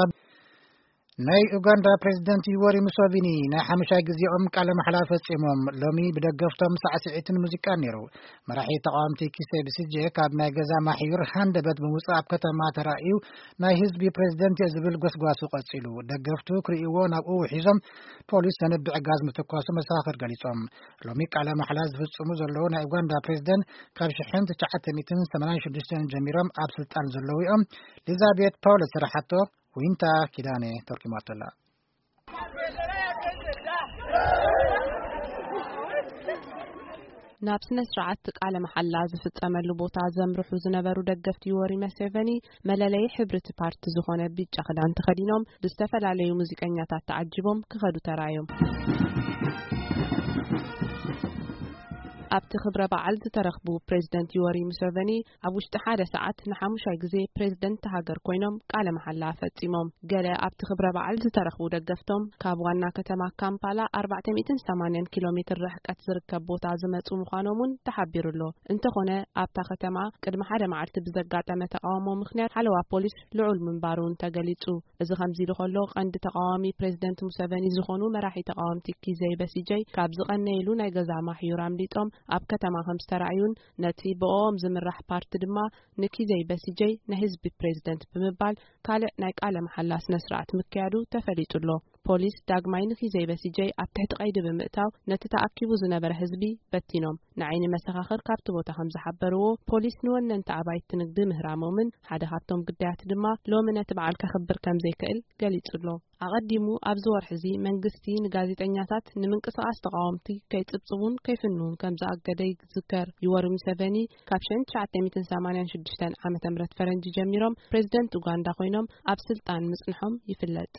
ኣብ ናይ ኡጋንዳ ፕሬዝደንት ዩወሪ ሙሶቪኒ ናይ ሓሙሻይ ግዜኦም ቃለ መሓላ ፈጺሞም። ሎሚ ብደገፍቶም ሳዕስዒትን ሙዚቃን ነይሩ። መራሒ ተቓወምቲ ኪሴ ብሲጄ ካብ ናይ ገዛ ማሕዩር ሃንደበት ብምውጻእ ኣብ ከተማ ተራእዩ፣ ናይ ህዝቢ ፕሬዝደንት እየ ዝብል ጎስጓሱ ቀጺሉ። ደገፍቱ ክርእይዎ ናብኡ ውሒዞም፣ ፖሊስ ሰነድ ብዕጋዝ ምትኳሱ መሰኻኽር ገሊጾም። ሎሚ ቃለ መሓላ ዝፍጽሙ ዘለዉ ናይ ኡጋንዳ ፕሬዝደንት ካብ ሽሕን ትሽዓተ ሚእትን ሰማንያን ሽዱሽተን ጀሚሮም ኣብ ስልጣን ዘለዉ እዮም። ሊዛቤት ፓውለስ ዝሰራሓቶ ዊንታ ኪዳነ ተርኪማቶ ኣላ። ናብ ስነ ስርዓት ቃለ መሓላ ዝፍጸመሉ ቦታ ዘምርሑ ዝነበሩ ደገፍቲ ዩወሪ መሴቨኒ፣ መለለዪ ሕብሪ እቲ ፓርቲ ዝኾነ ቢጫ ክዳን ተኸዲኖም፣ ብዝተፈላለዩ ሙዚቀኛታት ተዓጂቦም ክኸዱ ተራዮም። ኣብቲ ክብረ በዓል ዝተረኽቡ ፕሬዝደንት ዩወሪ ሙሴቨኒ፣ ኣብ ውሽጢ ሓደ ሰዓት ንሓሙሻይ ግዜ ፕሬዝደንት ሃገር ኮይኖም ቃለ መሓላ ፈጺሞም። ገለ ኣብቲ ክብረ በዓል ዝተረኽቡ ደገፍቶም፣ ካብ ዋና ከተማ ካምፓላ ኣርባዕተ ሚእትን ሰማንያን ኪሎ ሜትር ርሕቀት ዝርከብ ቦታ ዝመጹ ምዃኖም እውን ተሓቢሩ ኣሎ። እንተኾነ፣ ኣብታ ከተማ ቅድሚ ሓደ መዓልቲ ብዘጋጠመ ተቃውሞ ምኽንያት፣ ሓለዋ ፖሊስ ልዑል ምንባሩ እውን ተገሊጹ። እዚ ከምዚ ኢሉ ከሎ፣ ቀንዲ ተቃዋሚ ፕሬዝደንት ሙሰቨኒ ዝኾኑ መራሒ ተቃወምቲ ኪዘይ በሲጀይ፣ ካብ ዝቐነይሉ ናይ ገዛ ማሕዩር ኣምሊጦም ኣብ ከተማ ከም ዝተራእዩን፣ ነቲ ብኦም ዝምራሕ ፓርቲ ድማ ንኪዘይ በሲጀይ ናይ ህዝቢ ፕሬዝደንት ብምባል፣ ካልእ ናይ ቃለ መሓላ ስነ ስርዓት ምክያዱ ተፈሊጡ ኣሎ። ፖሊስ ዳግማይ ንኪዘይ በሲጀይ ኣብ ትሕቲ ቀይዲ ብምእታው፣ ነቲ ተኣኪቡ ዝነበረ ህዝቢ በቲኖም። ንዓይኒ መሰኻኽር ካብቲ ቦታ ከም ዝሓበርዎ፣ ፖሊስ ንወነንቲ ኣባይቲ ንግዲ ምህራሞምን፣ ሓደ ካብቶም ግዳያት ድማ ሎሚ ነቲ በዓል ከኽብር ከም ዘይክእል ገሊጹ ኣሎ። ኣቐዲሙ ኣብዚ ወርሒ እዚ መንግስቲ ንጋዜጠኛታት ንምንቅስቓስ ተቓወምቲ ከይጽብጽቡን ከይፍንውን ከም ዝኣገደ ይዝከር። ዩወሪ ሙሰቨኒ ካብ ሽሕን ትሽዓተ ሚእትን ሰማንያን ሽዱሽተን ዓመተ ምህረት ፈረንጂ ጀሚሮም ፕሬዝደንት ኡጋንዳ ኮይኖም ኣብ ስልጣን ምጽንሖም ይፍለጥ።